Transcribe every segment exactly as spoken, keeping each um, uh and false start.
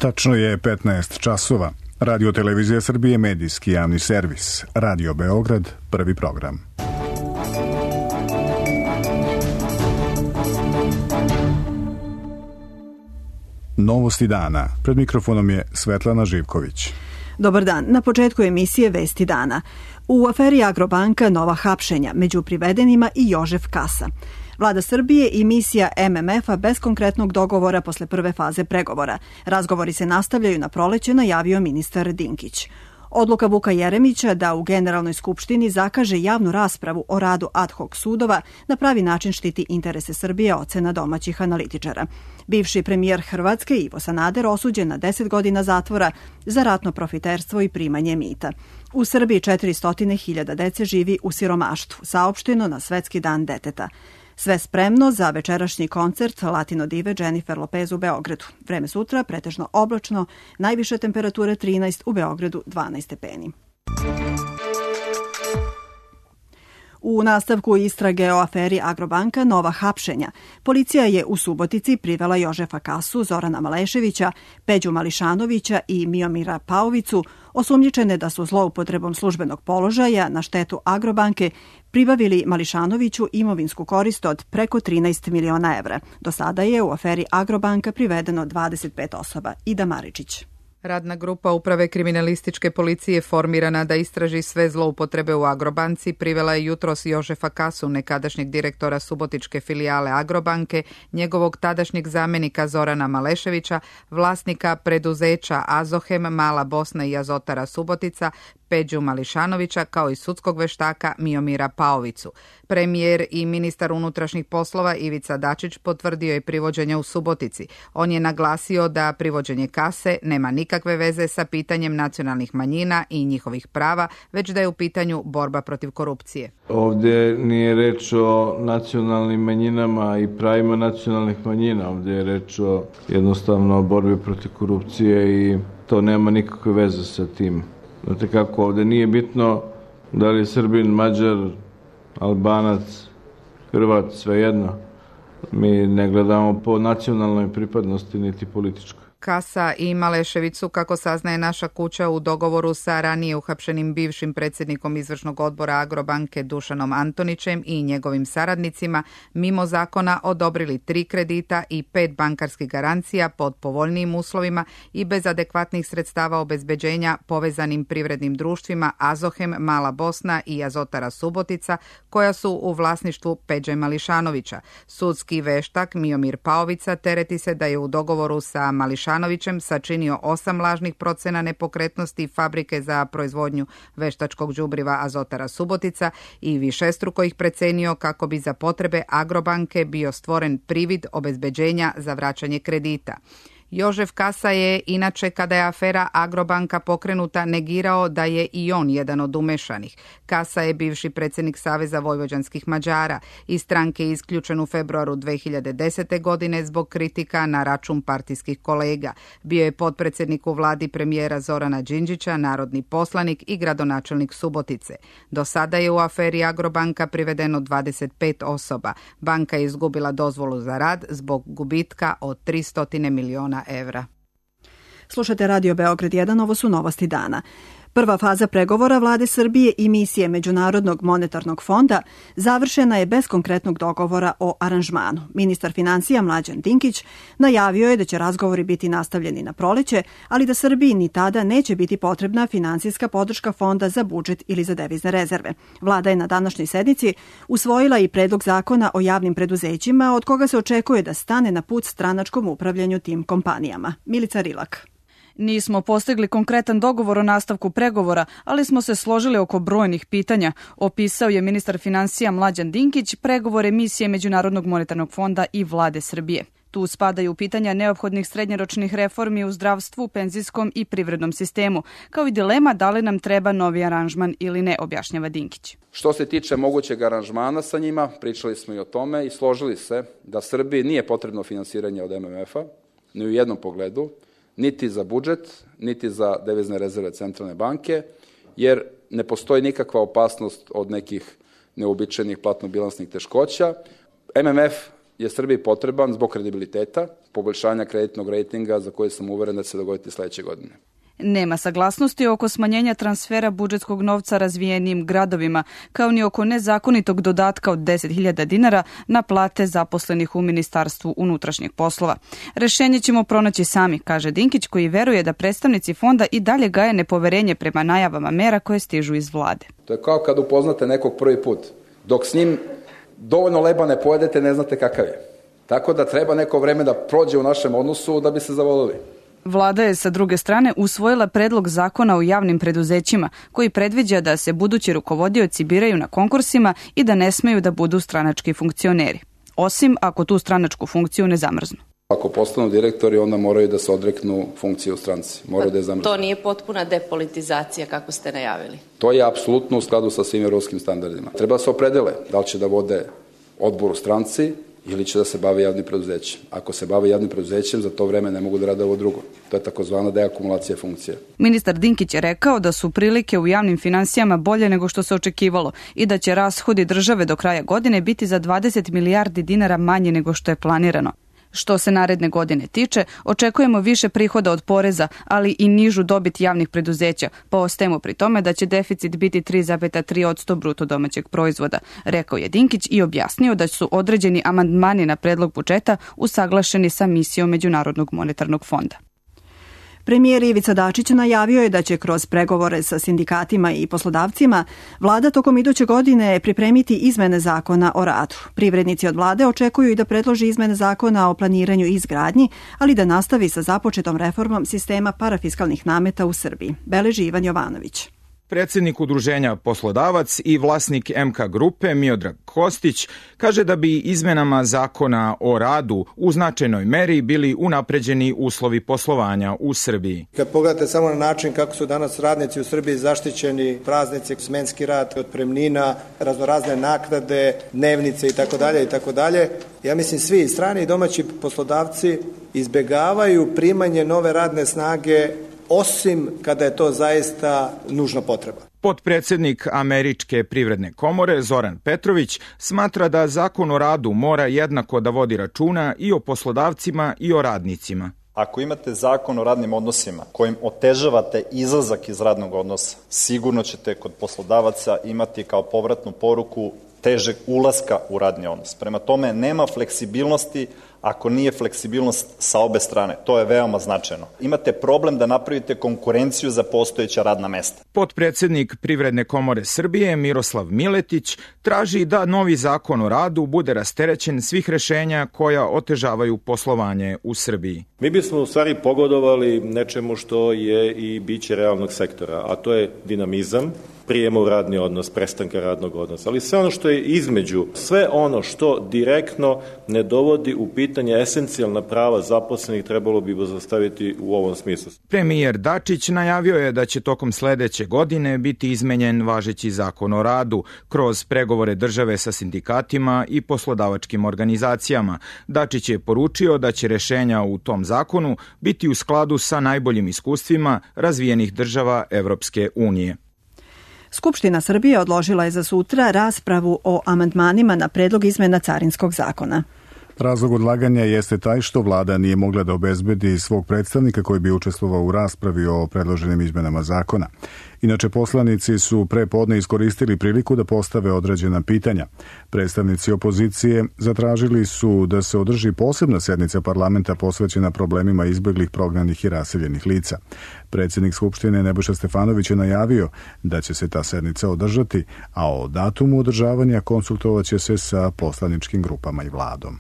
Tačno je petnaest časova. Radio Televizija Srbije, medijski javni servis. Radio Beograd, prvi program. Novosti dana. Pred mikrofonom je Svetlana Živković. Dobar dan. Na početku emisije Vesti dana. U aferi Agrobanka nova hapšenja, među privedenima i Jožef Kasa. Vlada Srbije i misija M M F-a bez konkretnog dogovora posle prve faze pregovora. Razgovori se nastavljaju na proleće, najavio ministar Dinkić. Odluka Vuka Jeremića da u Generalnoj skupštini zakaže javnu raspravu o radu ad hoc sudova na pravi način štiti interese Srbije, ocena domaćih analitičara. Bivši premijer Hrvatske Ivo Sanader osuđen na deset godina zatvora za ratno profiterstvo i primanje mita. U Srbiji četiristo hiljada dece živi u siromaštvu, saopšteno na Svetski dan deteta. Sve spremno za večerašnji koncert Latino dive Jennifer Lopez u Beogradu. Vreme sutra pretežno oblačno, najviše temperature trinaest, u Beogradu dvanaest stepeni. U nastavku istrage o aferi Agrobanka nova hapšenja. Policija je u Subotici privela Jožefa Kasu, Zorana Maleševića, Peđu Mališanovića i Miomira Paovicu, osumnjičene da su zloupotrebom službenog položaja na štetu Agrobanke pribavili Mališanoviću imovinsku korist od preko trinaest miliona evra. Do sada je u aferi Agrobanka privedeno dvadeset pet osoba. Ida Maričić. Radna grupa Uprave kriminalističke policije formirana da istraži sve zloupotrebe u Agrobanci privela je jutros Jožefa Kasu, nekadašnjeg direktora subotičke filijale Agrobanke, njegovog tadašnjeg zamenika Zorana Maleševića, vlasnika preduzeća Azohem, Mala Bosna i Azotara Subotica, Peđu Mališanovića, kao i sudskog veštaka Miomira Paovicu. Premijer i ministar unutrašnjih poslova Ivica Dačić potvrdio je privođenje u Subotici. On je naglasio da privođenje Kase nema nikakve veze sa pitanjem nacionalnih manjina i njihovih prava, već da je u pitanju borba protiv korupcije. Ovdje nije reč o nacionalnim manjinama i pravima nacionalnih manjina. Ovdje je reč o jednostavno borbi protiv korupcije i to nema nikakve veze sa tim. Znate kako, ovdje nije bitno da li je Srbin, Mađar, Albanac, Hrvat, svejedno. Mi ne gledamo po nacionalnoj pripadnosti niti političkoj. Kasa i Maleševicu, kako saznaje naša kuća, u dogovoru sa ranije uhapšenim bivšim predsjednikom izvršnog odbora Agrobanke Dušanom Antonićem i njegovim saradnicima, mimo zakona odobrili tri kredita i pet bankarskih garancija pod povoljnijim uslovima i bez adekvatnih sredstava obezbeđenja povezanim privrednim društvima Azohem, Mala Bosna i Azotara Subotica, koja su u vlasništvu Peđe Mališanovića. Sudski veštak Miomir Paovica tereti se da je u dogovoru sa Mališanovićem sačinio osam lažnih procena nepokretnosti fabrike za proizvodnju veštačkog đubriva Azotara Subotica i višestruko ih precenio kako bi za potrebe Agrobanke bio stvoren privid obezbeđenja za vraćanje kredita. Jožef Kasa je, inače, kada je afera Agrobanka pokrenuta, negirao da je i on jedan od umešanih. Kasa je bivši predsjednik Saveza vojvođanskih Mađara. Iz stranke je isključen u februaru dve hiljade desete. godine zbog kritika na račun partijskih kolega. Bio je potpredsjednik u vladi premijera Zorana Đinđića, narodni poslanik i gradonačelnik Subotice. Do sada je u aferi Agrobanka privedeno dvadeset pet osoba. Banka je izgubila dozvolu za rad zbog gubitka od tristo miliona evra. Slušate Radio Beograd jedan, ovo su novosti dana. Prva faza pregovora Vlade Srbije i misije Međunarodnog monetarnog fonda završena je bez konkretnog dogovora o aranžmanu. Ministar financija Mlađan Dinkić najavio je da će razgovori biti nastavljeni na proleće, ali da Srbiji ni tada neće biti potrebna finansijska podrška fonda za budžet ili za devizne rezerve. Vlada je na današnjoj sednici usvojila i predlog zakona o javnim preduzećima, od koga se očekuje da stane na put stranačkom upravljanju tim kompanijama. Milica Rilak. Nismo postigli konkretan dogovor o nastavku pregovora, ali smo se složili oko brojnih pitanja, opisao je ministar financija Mlađan Dinkić pregovore misije Međunarodnog monetarnog fonda i Vlade Srbije. Tu spadaju pitanja neophodnih srednjoročnih reformi u zdravstvu, penzijskom i privrednom sistemu, kao i dilema da li nam treba novi aranžman ili ne, objašnjava Dinkić. Što se tiče mogućeg aranžmana sa njima, pričali smo i o tome i složili se da Srbiji nije potrebno finansiranje od M M F-a, ni u jednom pogledu, niti za budžet, niti za devizne rezerve centralne banke, jer ne postoji nikakva opasnost od nekih neobičajnih platno-bilansnih teškoća. M M F je Srbiji potreban zbog kredibiliteta, poboljšanja kreditnog rejtinga za koje sam uveren da će se dogoditi sledeće godine. Nema saglasnosti oko smanjenja transfera budžetskog novca razvijenim gradovima, kao ni oko nezakonitog dodatka od deset hiljada dinara na plate zaposlenih u Ministarstvu unutrašnjih poslova. Rešenje ćemo pronaći sami, kaže Dinkić, koji veruje da predstavnici fonda i dalje gaje nepoverenje prema najavama mera koje stižu iz vlade. To je kao kad upoznate nekog prvi put. Dok s njim dovoljno leba ne pojedete, ne znate kakav je. Tako da treba neko vreme da prođe u našem odnosu da bi se zavolili. Vlada je sa druge strane usvojila predlog zakona o javnim preduzećima koji predviđa da se budući rukovodioci biraju na konkursima i da ne smeju da budu stranački funkcioneri, osim ako tu stranačku funkciju ne zamrznu. Ako postanu direktori, onda moraju da se odreknu funkcije u stranci. Moraju da je zamrznu. To nije potpuna depolitizacija kako ste najavili? To je apsolutno u skladu sa svim evropskim standardima. Treba da se opredele da li će da vode odbor u stranci ili će da se bave javnim preduzećem. Ako se bave javnim preduzećem, za to vreme ne mogu da rade ovo drugo. To je takozvana deakumulacija funkcija. Ministar Dinkić je rekao da su prilike u javnim finansijama bolje nego što se očekivalo i da će rashodi države do kraja godine biti za dvadeset milijardi dinara manje nego što je planirano. Što se naredne godine tiče, očekujemo više prihoda od poreza, ali i nižu dobit javnih preduzeća, pa ostajemo pri tome da će deficit biti tri zarez tri posto bruto domaćeg proizvoda, rekao je Dinkić i objasnio da su određeni amandmani na predlog budžeta usaglašeni sa misijom Međunarodnog monetarnog fonda. Premijer Ivica Dačić najavio je da će kroz pregovore sa sindikatima i poslodavcima vlada tokom iduće godine pripremiti izmene zakona o radu. Privrednici od vlade očekuju i da predloži izmene zakona o planiranju i izgradnji, ali da nastavi sa započetom reformom sistema parafiskalnih nameta u Srbiji. Beleži Ivan Jovanović. Predsjednik udruženja Poslodavac i vlasnik M K grupe Miodrag Kostić kaže da bi izmenama zakona o radu u značajnoj meri bili unapređeni uslovi poslovanja u Srbiji. Kad pogledate samo na način kako su danas radnici u Srbiji zaštićeni, praznici, smenski rad, otpremnina, raznorazne naknade, dnevnice itd. itd. Ja mislim svi strani i domaći poslodavci izbegavaju primanje nove radne snage osim kada je to zaista nužna potreba. Potpredsjednik Američke privredne komore Zoran Petrović smatra da zakon o radu mora jednako da vodi računa i o poslodavcima i o radnicima. Ako imate zakon o radnim odnosima kojim otežavate izlazak iz radnog odnosa, sigurno ćete kod poslodavaca imati kao povratnu poruku težeg ulaska u radni odnos. Prema tome, nema fleksibilnosti ako nije fleksibilnost sa obe strane. To je veoma značajno. Imate problem da napravite konkurenciju za postojeća radna mesta. Potpredsjednik Privredne komore Srbije Miroslav Miletić traži da novi zakon o radu bude rasterećen svih rešenja koja otežavaju poslovanje u Srbiji. Mi bismo u stvari pogodovali nečemu što je i biće realnog sektora, a to je dinamizam, prijema u radni odnos, prestanka radnog odnosa, ali sve ono što je između, sve ono što direktno ne dovodi u pitanje esencijalna prava zaposlenih trebalo bi zastaviti u ovom smislu. Premijer Dačić najavio je da će tokom sledeće godine biti izmenjen važeći zakon o radu kroz pregovore države sa sindikatima i poslodavačkim organizacijama. Dačić je poručio da će rešenja u tom zakonu biti u skladu sa najboljim iskustvima razvijenih država Evropske unije. Skupština Srbije odložila je za sutra raspravu o amandmanima na predlog izmena carinskog zakona. Razlog odlaganja jeste taj što vlada nije mogla da obezbedi svog predstavnika koji bi učestvovao u raspravi o predloženim izmenama zakona. Inače, poslanici su pre podne iskoristili priliku da postave određena pitanja. Predstavnici opozicije zatražili su da se održi posebna sednica parlamenta posvećena problemima izbeglih, prognanih i raseljenih lica. Predsjednik Skupštine Nebojša Stefanović je najavio da će se ta sednica održati, a o datumu održavanja konsultovaće se sa poslaničkim grupama i vladom.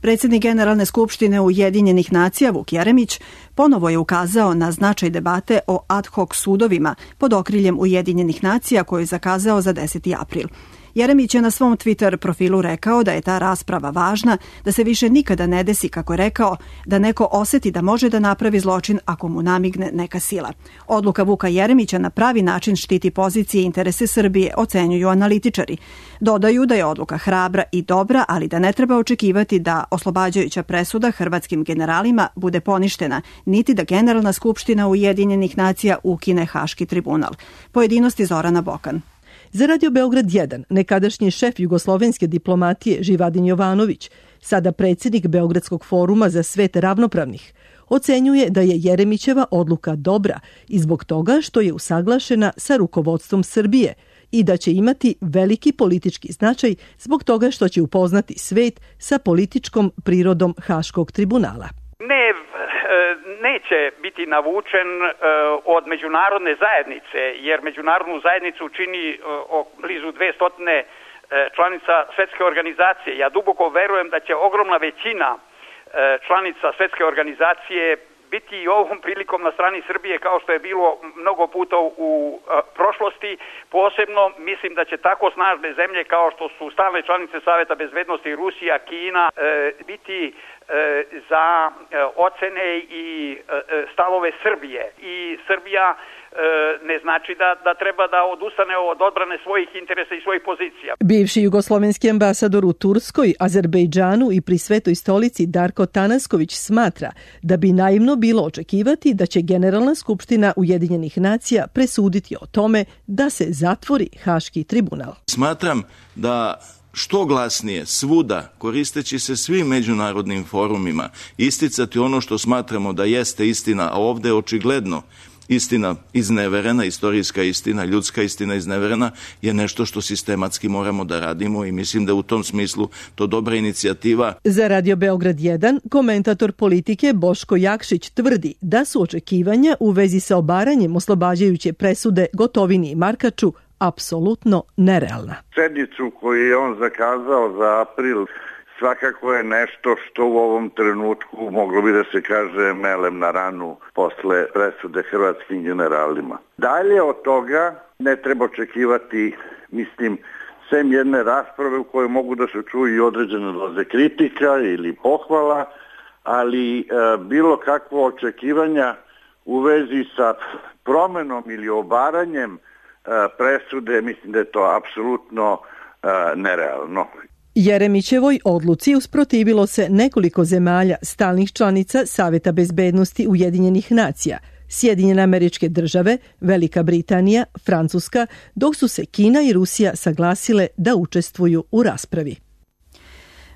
Predsjednik Generalne skupštine Ujedinjenih nacija Vuk Jeremić ponovo je ukazao na značaj debate o ad hoc sudovima pod okriljem Ujedinjenih nacija koju je zakazao za deseti april. Jeremić je na svom Twitter profilu rekao da je ta rasprava važna, da se više nikada ne desi, kako je rekao, da neko oseti da može da napravi zločin ako mu namigne neka sila. Odluka Vuka Jeremića na pravi način štiti pozicije i interese Srbije, ocenjuju analitičari. Dodaju da je odluka hrabra i dobra, ali da ne treba očekivati da oslobađajuća presuda hrvatskim generalima bude poništena, niti da Generalna skupština Ujedinjenih nacija ukine Haški tribunal. Pojedinosti Zorana Bokan. Za Radio Beograd jedan, nekadašnji šef jugoslovenske diplomatije Živadin Jovanović sada predsjednik Beogradskog foruma za svet ravnopravnih, ocenjuje da je Jeremićeva odluka dobra i zbog toga što je usaglašena sa rukovodstvom Srbije i da će imati veliki politički značaj zbog toga što će upoznati svet sa političkom prirodom Haškog tribunala. Ne, neće biti navučen od međunarodne zajednice, jer međunarodnu zajednicu čini blizu dvesta članica Svetske organizacije. Ja duboko verujem da će ogromna većina članica Svetske organizacije biti i ovom prilikom na strani Srbije, kao što je bilo mnogo puta u prošlosti. Posebno mislim da će tako snažne zemlje kao što su stalne članice Saveta bezbednosti Rusija, Kina biti za ocene i stavove Srbije. I Srbija ne znači da, da treba da odustane od odbrane svojih interesa i svojih pozicija. Bivši jugoslovenski ambasador u Turskoj, Azerbejdžanu i pri Svetoj stolici Darko Tanasković smatra da bi naivno bilo očekivati da će Generalna skupština Ujedinjenih nacija presuditi o tome da se zatvori Haški tribunal. Smatram da što glasnije svuda, koristeći se svim međunarodnim forumima, isticati ono što smatramo da jeste istina, a ovde je očigledno istina izneverena, istorijska istina, ljudska istina izneverena, je nešto što sistematski moramo da radimo i mislim da u tom smislu to dobra inicijativa. Za Radio Beograd jedan, komentator politike Boško Jakšić tvrdi da su očekivanja u vezi sa obaranjem oslobađajuće presude Gotovini i Markaču apsolutno nerealna. Sednicu koju je on zakazao za april svakako je nešto što u ovom trenutku moglo bi da se kaže melem na ranu posle presude hrvatskim generalima. Dalje od toga ne treba očekivati, mislim, sem jedne rasprave u kojoj mogu da se čuju i određene doze kritika ili pohvala, ali e, bilo kakvo očekivanja u vezi sa promenom ili obaranjem e, presude, mislim da je to apsolutno e, nerealno. Jeremićevoj odluci usprotivilo se nekoliko zemalja stalnih članica Saveta bezbednosti Ujedinjenih nacija, Sjedinjene Američke Države, Velika Britanija, Francuska, dok su se Kina i Rusija saglasile da učestvuju u raspravi.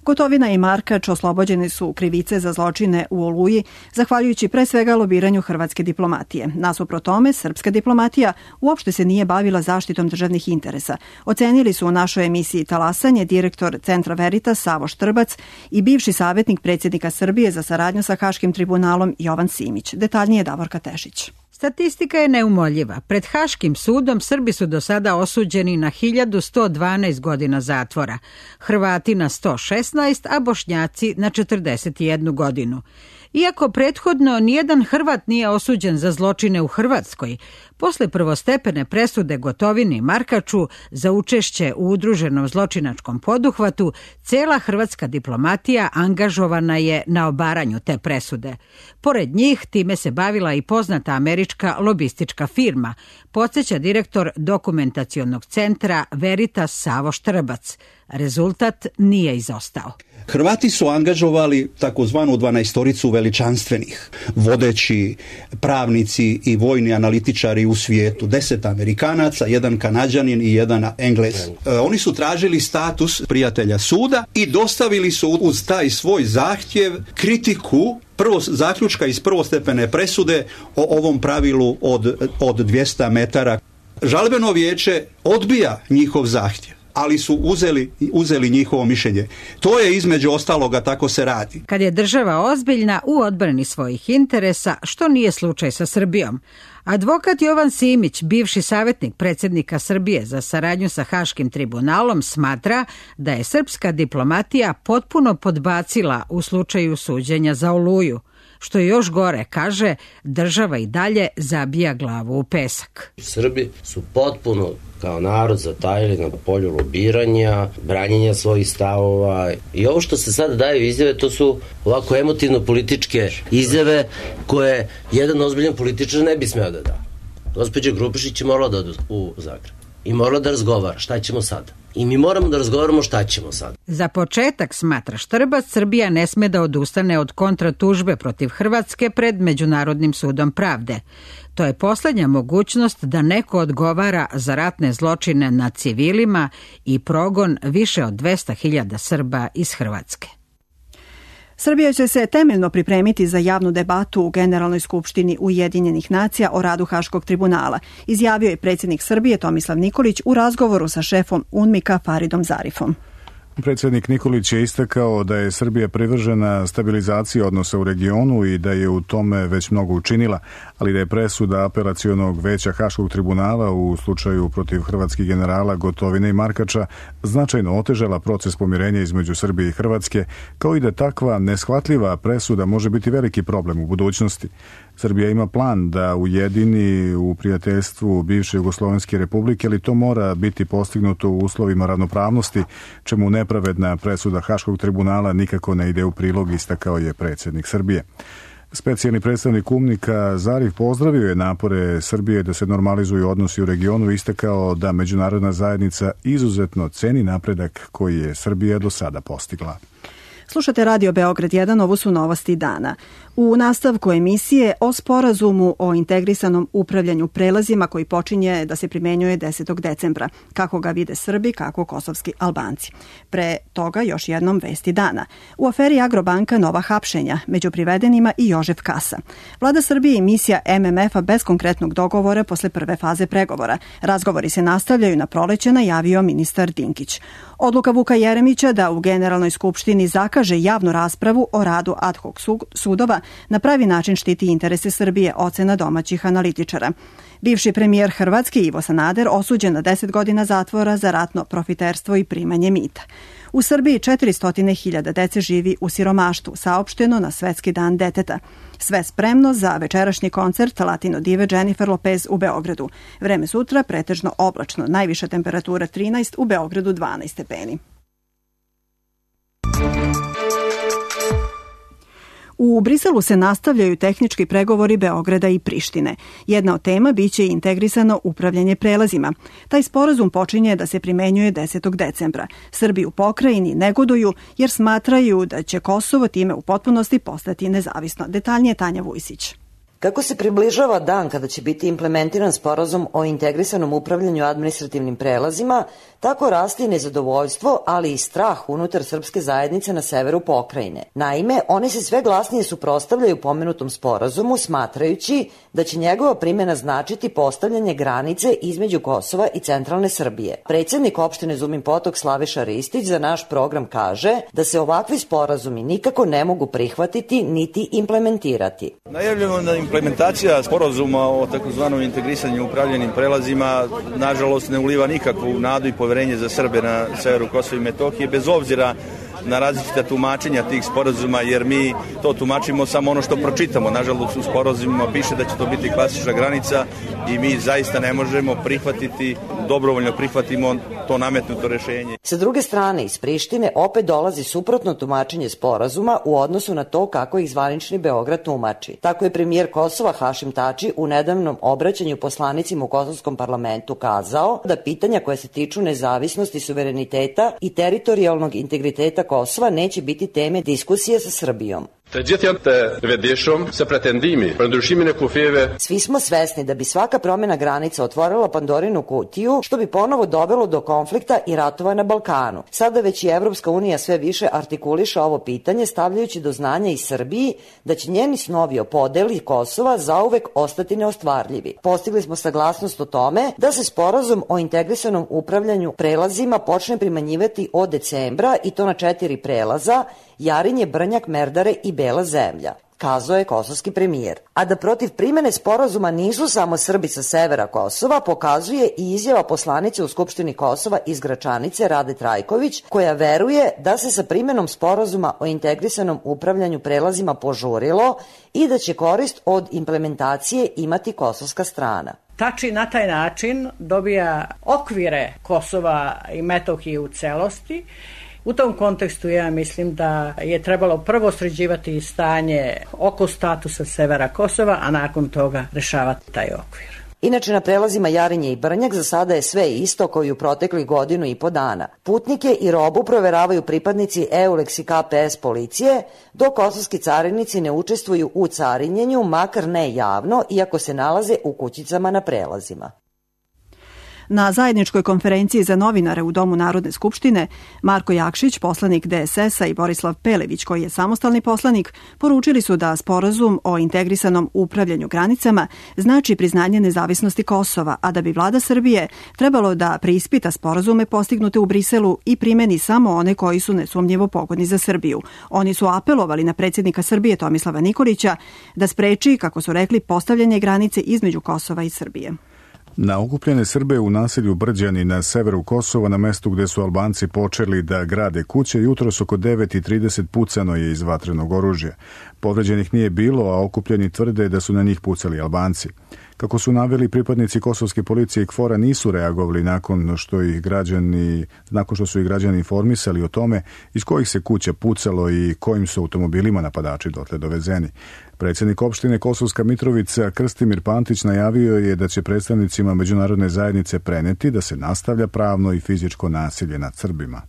Gotovina i Markač oslobođeni su krivice za zločine u Oluji, zahvaljujući pre svega lobiranju hrvatske diplomatije. Nasuprot tome, srpska diplomatija uopšte se nije bavila zaštitom državnih interesa. Ocenili su u našoj emisiji Talasanje direktor Centra Veritas Savo Štrbac i bivši savjetnik predsjednika Srbije za saradnju sa Haškim tribunalom Jovan Simić. Detaljnije Davorka Tešić. Statistika je neumoljiva. Pred Haškim sudom Srbi su do sada osuđeni na hiljadu sto dvanaest godina zatvora, Hrvati na sto šesnaest, a Bošnjaci na četrdeset jednu godinu. Iako prethodno nijedan Hrvat nije osuđen za zločine u Hrvatskoj, posle prvostepene presude Gotovini i Markaču za učešće u udruženom zločinačkom poduhvatu, cela hrvatska diplomatija angažovana je na obaranju te presude. Pored njih, time se bavila i poznata američka lobistička firma, podsjeća direktor dokumentacionog centra Veritas Savo Štrbac. Rezultat nije izostao. Hrvati su angažovali takozvanu dvanaestoricu veličanstvenih, vodeći pravnici i vojni analitičari u svijetu, deset Amerikanaca, jedan Kanađanin i jedan Englez. E, oni su tražili status prijatelja suda i dostavili su uz taj svoj zahtjev kritiku prvo zaključka iz prvostepene presude o ovom pravilu od, od dvjesto metara. Žalbeno vijeće odbija njihov zahtjev, ali su uzeli, uzeli njihovo mišljenje. To je između ostaloga, tako se radi. Kad je država ozbiljna u odbrani svojih interesa, što nije slučaj sa Srbijom. Advokat Jovan Simić, bivši savjetnik predsjednika Srbije za saradnju sa Haškim tribunalom, smatra da je srpska diplomatija potpuno podbacila u slučaju suđenja za Oluju. Što je još gore, kaže, država i dalje zabija glavu u pesak. Srbi su potpuno kao narod zatajili na polju lobiranja, branjenja svojih stavova i ovo što se sada daju izjave, to su ovako emotivno-političke izjave koje jedan ozbiljan političar ne bi smeo da da. Gospođa Grubišić je morala da ode u Zagreb i morala da razgovara šta ćemo sada. I mi moramo da razgovaramo šta ćemo sad. Za početak, smatra Štrbac, Srbija ne sme da odustane od kontratužbe protiv Hrvatske pred Međunarodnim sudom pravde. To je poslednja mogućnost da neko odgovara za ratne zločine nad civilima i progon više od dvesta hiljada Srba iz Hrvatske. Srbija će se temeljno pripremiti za javnu debatu u Generalnoj skupštini Ujedinjenih nacija o radu Haškog tribunala, izjavio je predsjednik Srbije Tomislav Nikolić u razgovoru sa šefom UNMIK-a Faridom Zarifom. Predsjednik Nikolić je istakao da je Srbija privržena stabilizaciji odnosa u regionu i da je u tome već mnogo učinila, ali da je presuda apelacionog veća Haškog tribunala u slučaju protiv hrvatskih generala Gotovine i Markača značajno otežala proces pomirenja između Srbije i Hrvatske, kao i da takva neshvatljiva presuda može biti veliki problem u budućnosti. Srbija ima plan da ujedini u prijateljstvu bivše Jugoslovenske republike, ali to mora biti postignuto u uslovima ravnopravnosti, čemu nepravedna presuda Haškog tribunala nikako ne ide u prilog, istakao je predsjednik Srbije. Specijalni predstavnik UNMIK-a Zarif pozdravio je napore Srbije da se normalizuju odnosi u regionu i istakao da međunarodna zajednica izuzetno ceni napredak koji je Srbija do sada postigla. Slušate Radio Beograd jedan, ovo su novosti dana. U nastavku emisije o sporazumu o integrisanom upravljanju prelazima koji počinje da se primenjuje desetog decembra. Kako ga vide Srbi, kako kosovski Albanci. Pre toga još jednom vesti dana. U aferi Agrobanka nova hapšenja, među privedenima i Jožef Kasa. Vlada Srbije i misija M M F-a bez konkretnog dogovora posle prve faze pregovora. Razgovori se nastavljaju na proleće, najavio ministar Dinkić. Odluka Vuka Jeremića da u Generalnoj skupštini zakaže javnu raspravu o radu ad hoc sudova na pravi način štiti interese Srbije, ocena domaćih analitičara. Bivši premijer Hrvatske Ivo Sanader osuđen na deset godina zatvora za ratno profiterstvo i primanje mita. U Srbiji četiristo hiljada dece živi u siromaštvu, saopšteno na Svetski dan deteta. Sve spremno za večerašnji koncert Latino dive Jennifer Lopez u Beogradu. Vreme sutra pretežno oblačno, najviša temperatura trinaest, u Beogradu dvanaest stepeni. U Briselu se nastavljaju tehnički pregovori Beograda i Prištine. Jedna od tema biće integrisano upravljanje prelazima. Taj sporazum počinje da se primenjuje desetog decembra. Srbi u pokrajini negoduju jer smatraju da će Kosovo time u potpunosti postati nezavisno. Detaljnije Tanja Vujsić. Kako se približava dan kada će biti implementiran sporazum o integrisanom upravljanju administrativnim prelazima, tako raste i nezadovoljstvo, ali i strah unutar srpske zajednice na severu pokrajine. Naime, oni se sve glasnije suprotstavljaju pomenutom sporazumu, smatrajući da će njegova primjena značiti postavljanje granice između Kosova i centralne Srbije. Predsjednik opštine Zumin Potok Slaviša Ristić za naš program kaže da se ovakvi sporazumi nikako ne mogu prihvatiti niti implementirati. Najavljamo da implementacija sporazuma o takozvanom integrisanju upravljanim prelazima nažalost ne uliva nikakvu nadu i poverenje za Srbe na severu Kosova i Metohije, bez obzira na različita tumačenja tih sporazuma, jer mi to tumačimo samo ono što pročitamo. Nažalost, u sporazumima piše da će to biti klasična granica i mi zaista ne možemo prihvatiti, dobrovoljno prihvatimo to nametnuto rešenje. Sa druge strane, iz Prištine opet dolazi suprotno tumačenje sporazuma u odnosu na to kako ih zvanični Beograd tumači. Tako je premijer Kosova Hašim Tači u nedavnom obraćanju poslanicima u kosovskom parlamentu kazao da pitanja koja se tiču nezavisnosti, suvereniteta i teritorijalnog integriteta Kosova neće biti teme diskusije sa Srbijom. Svi smo svesni da bi svaka promjena granica otvorila Pandorinu kutiju, što bi ponovo dovelo do konflikta i ratova na Balkanu. Sada već i Evropska unija sve više artikuliše ovo pitanje, stavljajući do znanja i Srbiji da će njeni snovi o podeli Kosova zauvek ostati neostvarljivi. Postigli smo saglasnost o tome da se sporazum o integrisanom upravljanju prelazima počne primenjivati od decembra i to na četiri prelaza: Jarinje, Brnjak, Merdare i Bela zemlja, kazao je kosovski premijer. A da protiv primene sporazuma nisu samo Srbi sa severa Kosova, pokazuje i izjava poslanice u Skupštini Kosova iz Gračanice Rade Trajković, koja veruje da se sa primenom sporazuma o integrisanom upravljanju prelazima požurilo i da će korist od implementacije imati kosovska strana. Tači na taj način dobija okvire Kosova i Metohije u celosti. U tom kontekstu ja mislim da je trebalo prvo sređivati stanje oko statusa severa Kosova, a nakon toga rešavati taj okvir. Inače, na prelazima Jarinje i Brnjak za sada je sve isto kao i u proteklih godinu i po dana. Putnike i robu proveravaju pripadnici EULEX i K P S policije, dok kosovski carinici ne učestvuju u carinjenju, makar ne javno, iako se nalaze u kućicama na prelazima. Na zajedničkoj konferenciji za novinare u Domu Narodne skupštine, Marko Jakšić, poslanik D S S-a i Borislav Pelević, koji je samostalni poslanik, poručili su da sporazum o integrisanom upravljanju granicama znači priznanje nezavisnosti Kosova, a da bi vlada Srbije trebalo da preispita sporazume postignute u Briselu i primeni samo one koji su nesumnjivo pogodni za Srbiju. Oni su apelovali na predsjednika Srbije Tomislava Nikolića da spreči, kako su rekli, postavljanje granice između Kosova i Srbije. Na okupljene Srbe u naselju Brđani na severu Kosova, na mestu gde su Albanci počeli da grade kuće, jutros oko devet i trideset pucano je iz vatrenog oružja. Povređenih nije bilo, a okupljeni tvrde da su na njih pucali Albanci. Kako su naveli, pripadnici kosovske policije i K F O R-a nisu reagovali nakon što ih građani, nakon što su ih građani informisali o tome iz kojih se kuća pucalo i kojim su automobilima napadači dotle dovezeni. Predsjednik opštine Kosovska Mitrovica Krstimir Pantić najavio je da će predstavnicima međunarodne zajednice preneti da se nastavlja pravno i fizičko nasilje nad Srbima.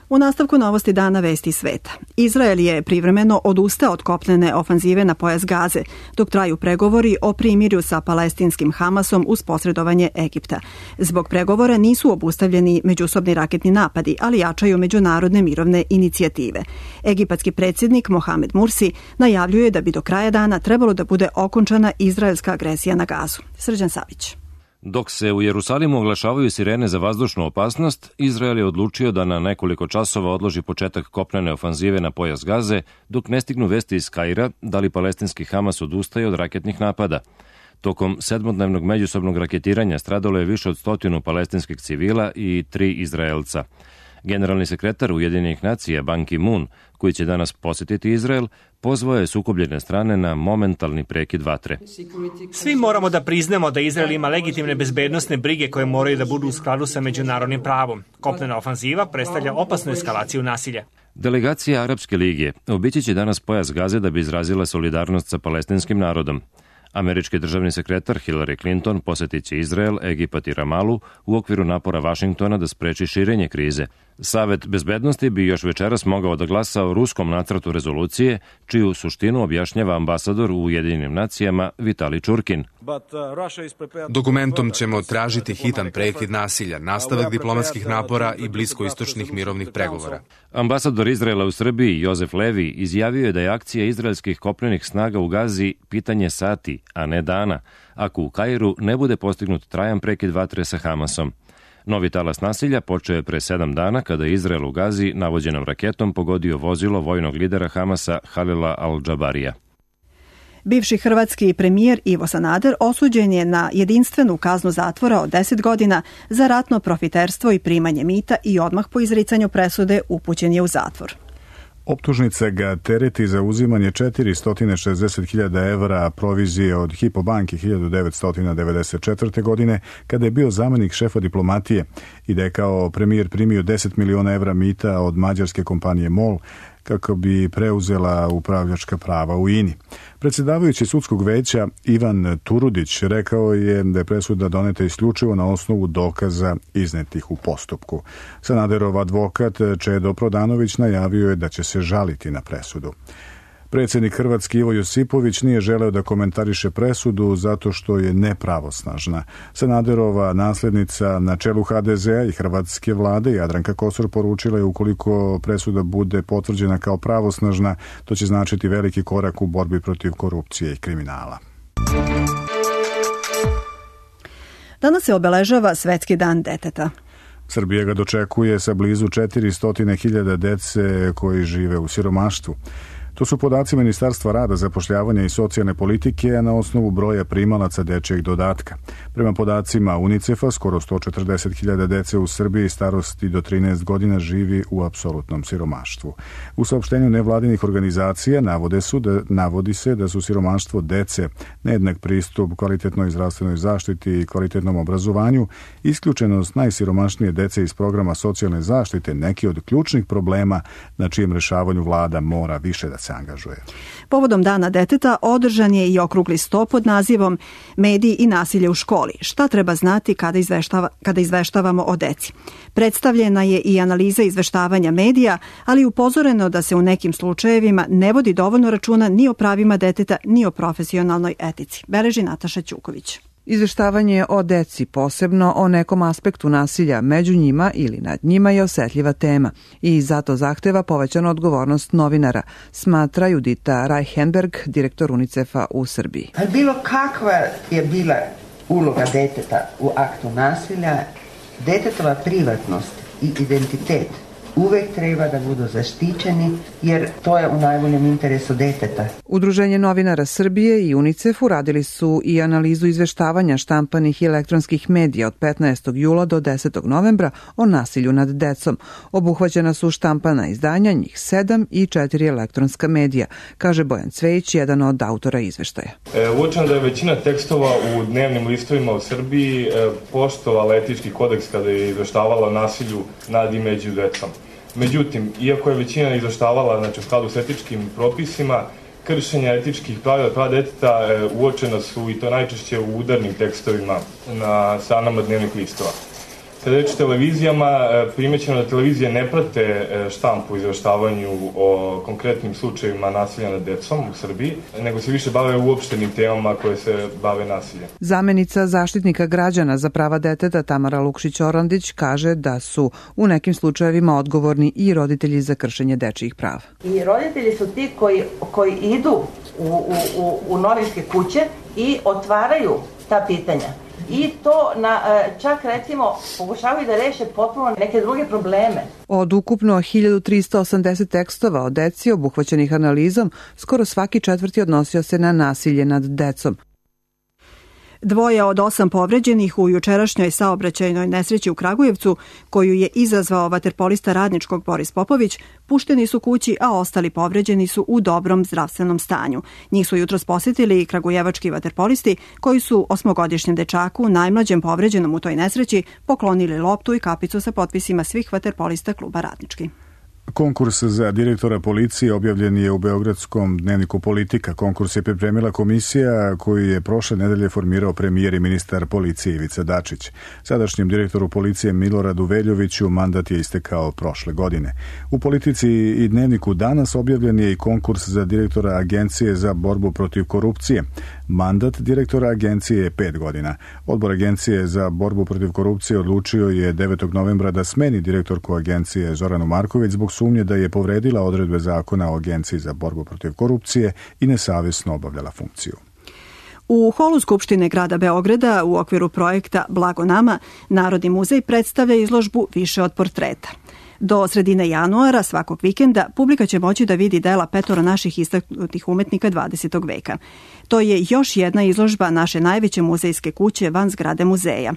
U nastavku novosti dana vesti sveta. Izrael je privremeno odustao od kopnene ofanzive na pojas Gaze, dok traju pregovori o primirju sa palestinskim Hamasom uz posredovanje Egipta. Zbog pregovora nisu obustavljeni međusobni raketni napadi, ali jačaju međunarodne mirovne inicijative. Egipatski predsjednik Mohamed Mursi najavljuje da bi do kraja dana trebalo da bude okončana izraelska agresija na Gazu. Srđan Savić. Dok se u Jerusalimu oglašavaju sirene za vazdušnu opasnost, Izrael je odlučio da na nekoliko časova odloži početak kopnene ofanzive na pojas Gaze, dok ne stignu vesti iz Kaira da li palestinski Hamas odustaje od raketnih napada. Tokom sedmodnevnog međusobnog raketiranja stradalo je više od stotinu palestinskih civila i tri Izraelca. Generalni sekretar Ujedinjenih nacija Ban Ki-moon, koji će danas posjetiti Izrael, pozvao je sukobljene strane na momentalni prekid vatre. Svi moramo da priznamo da Izrael ima legitimne bezbednosne brige koje moraju da budu u skladu sa međunarodnim pravom. Kopnena ofanziva predstavlja opasnu eskalaciju nasilja. Delegacija Arapske lige obići će danas pojas Gaze da bi izrazila solidarnost sa palestinskim narodom. Američki državni sekretar Hillary Clinton posjetit će Izrael, Egipat i Ramalu u okviru napora Vašingtona da spreči širenje krize. Savet bezbednosti bi još večeras mogao da glasa o ruskom nacrtu rezolucije, čiju suštinu objašnjava ambasador u Ujedinjenim nacijama Vitali Čurkin. Dokumentom ćemo tražiti hitan prekid nasilja, nastavak diplomatskih napora i bliskoistočnih mirovnih pregovora. Ambasador Izraela u Srbiji Jozef Levi izjavio je da je akcija izraelskih kopnenih snaga u Gazi pitanje sati, a ne dana, ako u Kairu ne bude postignut trajan prekid vatre sa Hamasom. Novi talas nasilja počeo je pre sedam dana kada je Izrael u Gazi navođenom raketom pogodio vozilo vojnog lidera Hamasa Halila al-Džabarija. Bivši hrvatski premijer Ivo Sanader osuđen je na jedinstvenu kaznu zatvora od deset godina za ratno profiterstvo i primanje mita i odmah po izricanju presude upućen je u zatvor. Optužnica ga tereti za uzimanje četiristo šezdeset hiljada evra provizije od Hypo banke hiljadu devetsto devedeset četvrte. godine, kada je bio zamenik šefa diplomatije i da je kao premijer primio deset miliona evra mita od mađarske kompanije MOL kako bi preuzela upravljačka prava u I N I. Predsjedavajući sudskog veća Ivan Turudić rekao je da je presuda doneta isključivo na osnovu dokaza iznetih u postupku. Sanaderov advokat Čedo Prodanović najavio je da će se žaliti na presudu. Predsjednik Hrvatske Ivo Josipović nije želeo da komentariše presudu zato što je nepravosnažna. Sanaderova naslednica na čelu H D Z-a i hrvatske vlade Jadranka Kosor poručila je ukoliko presuda bude potvrđena kao pravosnažna, to će značiti veliki korak u borbi protiv korupcije i kriminala. Danas se obeležava Svetski dan deteta. Srbija ga dočekuje sa blizu četiristo hiljada dece koji žive u siromaštvu. To su podaci Ministarstva rada, zapošljavanja i socijalne politike, a na osnovu broja primalaca dečjeg dodatka. Prema podacima UNICEF-a, skoro sto četrdeset hiljada dece u Srbiji starosti do trinaest godina živi u apsolutnom siromaštvu. U saopštenju nevladinih organizacija navode su da, navodi se da su siromaštvo dece, nejednak pristup kvalitetnoj zdravstvenoj zaštiti i kvalitetnom obrazovanju, isključenost najsiromašnije dece iz programa socijalne zaštite neki od ključnih problema na čijem rešavanju vlada mora više da se angažuje. Povodom Dana deteta održan je i okrugli sto pod nazivom Mediji i nasilje u školi. Šta treba znati kada, izveštava, kada izveštavamo o deci? Predstavljena je i analiza izveštavanja medija, ali upozoreno da se u nekim slučajevima ne vodi dovoljno računa ni o pravima deteta, ni o profesionalnoj etici. Beleži Nataša Ćuković. Izveštavanje o deci, posebno o nekom aspektu nasilja među njima ili nad njima, je osetljiva tema i zato zahteva povećanu odgovornost novinara, smatra Judita Reichenberg, direktor UNICEF-a u Srbiji. Bilo kakva je bila uloga deteta u aktu nasilja, detetova privatnost i identitet uvek treba da budu zaštićeni, jer to je u najboljem interesu deteta. Udruženje novinara Srbije i UNICEF uradili su i analizu izveštavanja štampanih i elektronskih medija od petnaestog jula do desetog novembra o nasilju nad decom. Obuhvaćena su štampana izdanja, njih sedam i četiri elektronska medija, kaže Bojan Cvejić, jedan od autora izveštaja. E, uočeno da je većina tekstova u dnevnim listovima u Srbiji e, poštovala etički kodeks kada je izveštavala o nasilju nad i među decom. Međutim, iako je većina izveštavala, znači, u skladu s etičkim propisima, kršenja etičkih pravila prava deteta e, uočena su, i to najčešće u udarnim tekstovima na stranama dnevnih listova. Kada reč o televizijama, primećeno da televizije ne prate štampu u izveštavanju o konkretnim slučajevima nasilja nad decom u Srbiji, nego se više bave uopštenim temama koje se bave nasiljem. Zamenica zaštitnika građana za prava deteta Tamara Lukšić-Orandić kaže da su u nekim slučajevima odgovorni i roditelji za kršenje dečijih prava. I roditelji su ti koji, koji idu u, u, u, u novinske kuće i otvaraju ta pitanja. I to na, čak recimo pokušavaju da reše potpuno neke druge probleme. Od ukupno hiljadu trista osamdeset tekstova o deci obuhvaćenih analizom, skoro svaki četvrti odnosio se na nasilje nad decom. Dvoje od osam povređenih u jučerašnjoj saobraćajnoj nesreći u Kragujevcu, koju je izazvao vaterpolista Radničkog Boris Popović, pušteni su kući, a ostali povređeni su u dobrom zdravstvenom stanju. Njih su jutros posjetili kragujevački vaterpolisti, koji su osmogodišnjem dečaku, najmlađem povređenom u toj nesreći, poklonili loptu i kapicu sa potpisima svih vaterpolista kluba Radnički. Konkurs za direktora policije objavljen je u beogradskom dnevniku Politika. Konkurs je pripremila komisija koju je prošle nedelje formirao premijer i ministar policije Ivica Dačić. Sadašnjem direktoru policije Miloradu Veljoviću mandat je istekao prošle godine. U Politici i dnevniku Danas objavljen je i konkurs za direktora Agencije za borbu protiv korupcije. Mandat direktora agencije je pet godina. Odbor Agencije za borbu protiv korupcije odlučio je devetog novembra da smeni direktorku agencije Zoranu Marković zbog sumnje da je povredila odredbe zakona o Agenciji za borbu protiv korupcije i nesavjesno obavljala funkciju. U holu Skupštine grada Beograda u okviru projekta Blago nama, Narodni muzej predstavlja izložbu Više od portreta. Do sredine januara svakog vikenda publika će moći da vidi dela petora naših istaknutih umetnika dvadesetog veka. To je još jedna izložba naše najveće muzejske kuće van zgrade muzeja.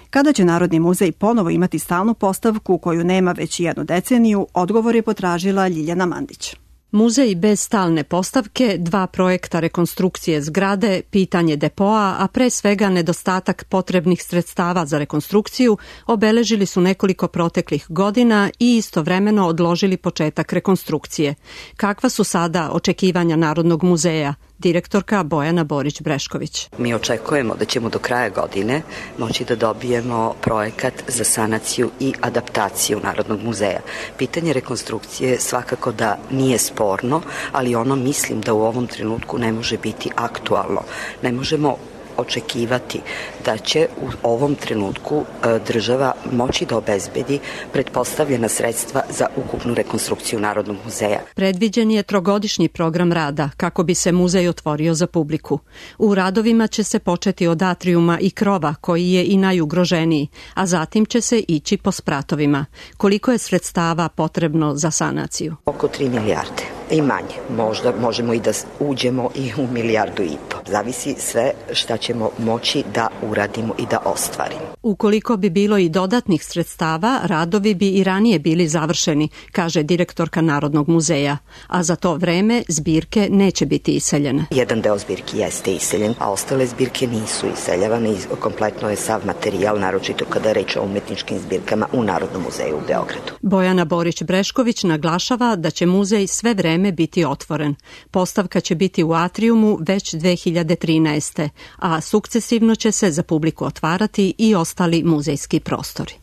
Kada će Narodni muzej ponovo imati stalnu postavku koju nema već jednu deceniju, odgovor je potražila Ljiljana Mandić. Muzej bez stalne postavke, dva projekta rekonstrukcije zgrade, pitanje depoa, a pre svega nedostatak potrebnih sredstava za rekonstrukciju, obeležili su nekoliko proteklih godina i istovremeno odložili početak rekonstrukcije. Kakva su sada očekivanja Narodnog muzeja? Direktorka Bojana Borić-Brešković. Mi očekujemo da ćemo do kraja godine moći da dobijemo projekat za sanaciju i adaptaciju Narodnog muzeja. Pitanje rekonstrukcije svakako da nije sporno, ali ono mislim da u ovom trenutku ne može biti aktualno. Ne možemo očekivati da će u ovom trenutku država moći da obezbedi pretpostavljena sredstva za ukupnu rekonstrukciju Narodnog muzeja. Predviđen je trogodišnji program rada kako bi se muzej otvorio za publiku. U radovima će se početi od atrijuma i krova koji je i najugroženiji, a zatim će se ići po spratovima. Koliko je sredstava potrebno za sanaciju? Oko tri milijarde i manje. Možda možemo i da uđemo i u milijardu i po. Zavisi sve šta ćemo moći da uradimo i da ostvarimo. Ukoliko bi bilo i dodatnih sredstava, radovi bi i ranije bili završeni, kaže direktorka Narodnog muzeja, a za to vreme zbirke neće biti iseljene. Jedan deo zbirki jeste iseljen, a ostale zbirke nisu iseljavane i kompletno je sav materijal, naročito kada je reč o umetničkim zbirkama u Narodnom muzeju u Beogradu. Bojana Borić-Brešković naglašava da će muzej sve vreme biti otvoren. Postavka će biti u atrijumu već dve hiljade trinaeste. a sukcesivno će se za publiku otvarati i ostali muzejski prostori.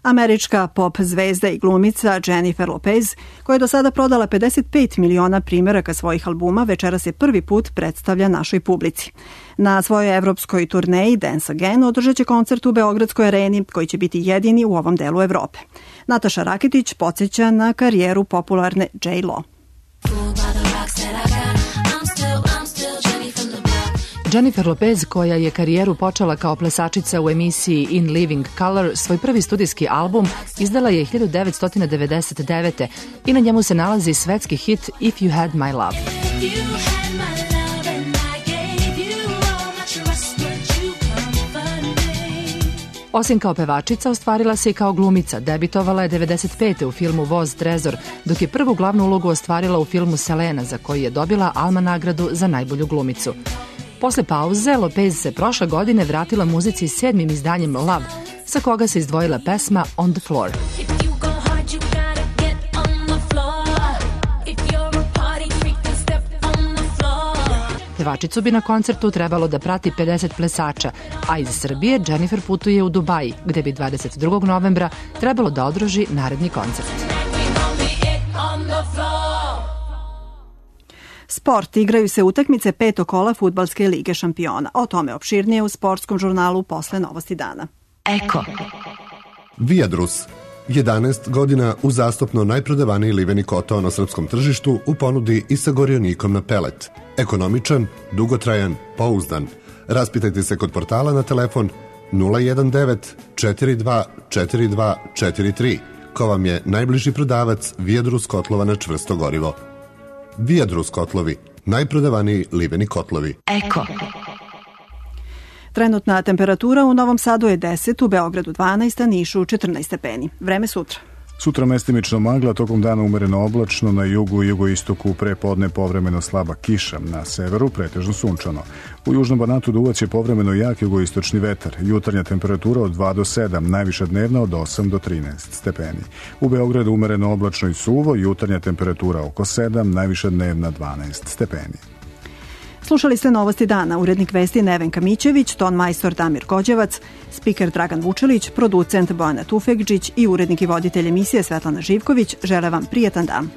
Američka pop zvezda i glumica Jennifer Lopez, koja je do sada prodala pedeset pet miliona primjeraka svojih albuma, večeras se prvi put predstavlja našoj publici. Na svojoj evropskoj turneji Dance Again održat će koncert u Beogradskoj areni, koji će biti jedini u ovom delu Evrope. Nataša Rakitić podsjeća na karijeru popularne J-Lo. Jennifer Lopez, koja je karijeru počela kao plesačica u emisiji In Living Color, svoj prvi studijski album izdala je hiljadu devetsto devedeset devete. i na njemu se nalazi svetski hit If You Had My Love. Osim kao pevačica, ostvarila se i kao glumica. Debitovala je devedeset pete u filmu Voz Trezor, dok je prvu glavnu ulogu ostvarila u filmu Selena, za koji je dobila Alma nagradu za najbolju glumicu. Posle pauze, Lopez se prošle godine vratila muzici s sedmim izdanjem Love, sa koga se izdvojila pesma On the Floor. Pevačicu bi na koncertu trebalo da prati pedeset plesača, a iz Srbije Jennifer putuje u Dubaji, gde bi dvadeset drugog novembra trebalo da održi naredni koncert. Sport. Igraju se utakmice petog kola Fudbalske lige šampiona. O tome opširnije u sportskom žurnalu posle Novosti dana. Eko. Viadrus. jedanaest godina uzastopno najprodavaniji liveni kotao na srpskom tržištu u ponudi i sa gorionikom na pelet. Ekonomičan, dugotrajan, pouzdan. Raspitajte se kod portala na telefon nula jedan devet četiri dva četiri dva četiri tri, ko vam je najbliži prodavac Viadrus kotlova na čvrsto gorivo. Viadrus kotlovi, najprodavaniji liveni kotlovi. Eko. Trenutna temperatura u Novom Sadu je deset, u Beogradu dvanaest, a Nišu četrnaest stepeni. Vreme sutra. Sutra mestimično magla, tokom dana umereno oblačno, na jugu i jugoistoku pre podne povremeno slaba kiša, na severu pretežno sunčano. U južnom Banatu duvaće povremeno jak jugoistočni vetar, jutarnja temperatura od dva do sedam, najviša dnevna od osam do trinaest stepeni. U Beogradu umereno oblačno i suvo, jutarnja temperatura oko sedam, najviša dnevna dvanaest stepeni. Slušali ste Novosti dana, urednik vesti Nevenka Mićević, ton majstor Damir Gođevac, spiker Dragan Vučelić, producent Bojana Tufekđić i urednik i voditelj emisije Svetlana Živković žele vam prijetan dan.